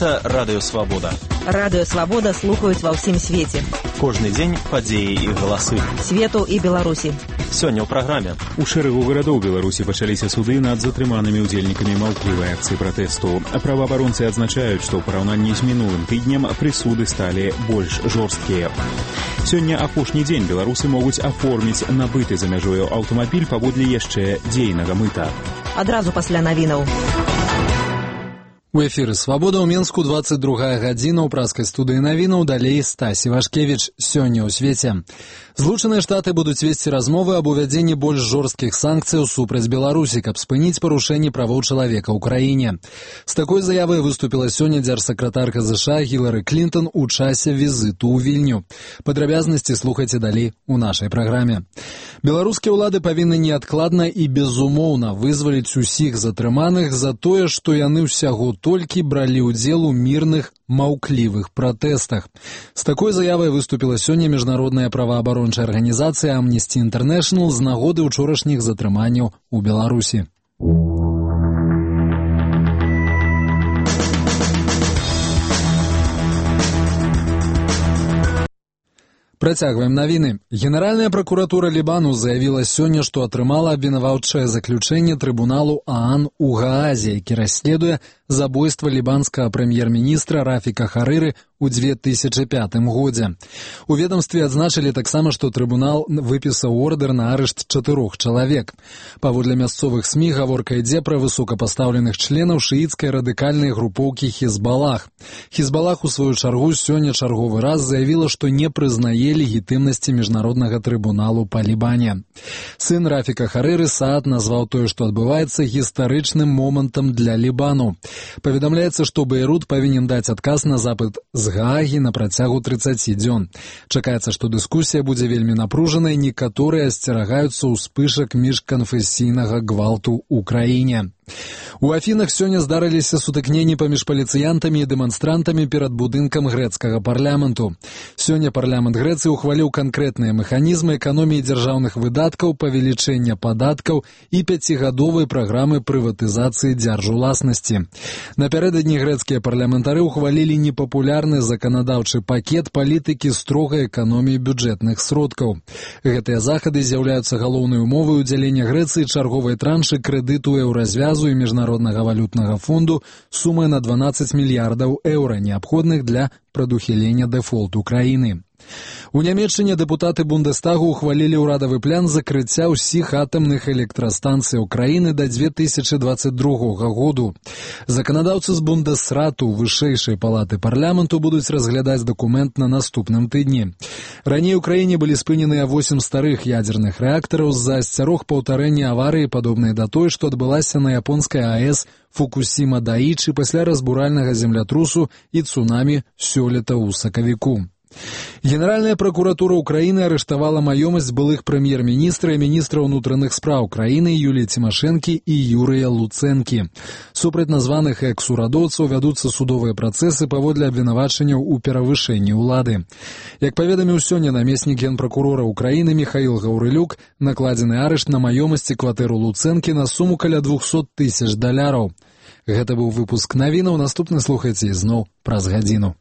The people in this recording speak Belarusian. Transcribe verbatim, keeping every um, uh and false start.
Гэта Радыё Свабода. Радыё Свабода слухаюць ва ўсім свеце. Кожны дзень падзеі і галасы. Свету і Беларусі. Сёння ў праграме. У шэрагу гарадоў Беларусі пачаліся суды над затрыманымі ўдзельнікамі маўклівай акцыі пратэсту. Праваабаронцы адзначаюць, што ў параўнанні з мінулым тыднем прысуды сталі больш жорсткія. Сёння апошні дзень беларусы могуць аформіць набыты за мяжою аўтамабіль паводле яшчэ дзейнага мыта. Адразу пасля навінаў. У эфіры «Свабода» ў Менску, двадцать другая гадзіна, ў праскай студыі навінаў, далей Стась Івашкевіч. Сёння ў свеце. Злучаныя Штаты будуць весці размовы аб увядзенні больш жорсткіх санкцыяў супраць Беларусі, каб спыніць парушэнні правоў чалавека ў краіне. З такой заявай выступіла сёння дзяржсакратарка ЗША Гілары Клінтон у часе візіту ў Вільню. Падрабязнасці слухайце далей у нашай праграме. Беларускія ўлады павінны неадкладна і безумоўна вызваліць усіх затрыманых за тое, што яны ўсяго толькі бралі ўдзел у мірных, маўклівых пратэстах. З такой заявай выступіла сёння міжнародная праваабарончая арганізацыя Amnesty International з нагоды ўчорашніх затрыманняў у Беларусі. Працягваем навіны. Генеральная пракуратура Лібану заявіла сёння, што атрымала абвінаваўчае заключэнне трыбуналу ААН у Гаазе, які расследуе забойства лібанскага прэм'ер-міністра Рафіка Харыры ў две тысячы пятым годзе. У ведамстве адзначылі таксама, што трыбунал выпісаў ордэр на арышт чатырох чалавек. Паводле мясцовых СМІ гаворка ідзе пра высокапастаўленых членаў шыіцкай радыкальнай групоўкі Хізбалах. Хізбалах у сваю чаргу сёння чарговы раз заявіла, што не прызнае легітымнасці міжнароднага трыбуналу па Лібане. Сын Рафіка Харыры Саад назваў тое, што адбываецца, гістарычным момантам для Лібану. Паведамляецца, што Бейрут павінен даць адказ на запыт з Гаагі на працягу трыццаці дзён. Чакаецца, што дыскусія будзе вельмі напружанай, некаторыя асцерагаюцца ўспышак міжканфесійнага гвалту ў краіне. У Афінах сёння здарыліся сутыкненні паміж паліцыянтамі і дэманстрантамі перад будынкам грэцкага парламенту. Сёння парламент Грэцыі ухваліў канкрэтныя мэханізмы эканоміі дзяржаўных выдаткаў, павелічэння падаткаў і пяцігадовай праграмы прыватызацыі дзяржуласнасці. Напярэдадні грэцкія парламентары ухвалілі непапулярны заканадаўчы пакет палітыкі строгай эканоміі бюджэтных сродкаў. Гэтыя захады з'яўляюцца галоўнай умовай удзялення Грэцыі чарговай траншы крэдыту еўразвязу і міжнароднага валютнага фонду сумай на дванаццаць мільярдаў еўра, неабходных для прадухілення дэфолту краіны. У Нямецчыне дэпутаты Бундестагу ухвалілі ўрадавы план закрыцця ўсіх атамных электрастанцыяў краіны да две тысячы дваццаць другога году. Заканадаўцы з Бундесрату вышэйшай палаты парламенту будуць разглядаць дакумент на наступным тыдні. Раней у краіне былі спыненыя восем старых ядзерных рэактараў з-за асцярог паўтарэння аварыі, падобнай да той, што адбылася на японскай АЭС Фукусіма-Даічы пасля разбуральнага землятрусу і цунамі сёлета ў сакавіку. Генеральная пракуратура ўкраіны арыштавала маёмасць былых прэм'ер-міністра і міністра ўнутраных спраў краіны Юліі Цімашэнкі і Юрыя Луцэнкі. Супраць названых экс-урадоўцаў вядуцца судовыя працэсы паводле абвінавачанняў у перавышэнні ўлады. Як паведаміў сёння намеснік генпракурора ўкраіны Міхаіл Гаўрылюк, накладзены арышт на маёмасці кватэру Луцэнкі на суму каля двухсот тысяч даляраў. Гэта быў выпуск навінаў, наступны слухайце ізноў праз гадзіну.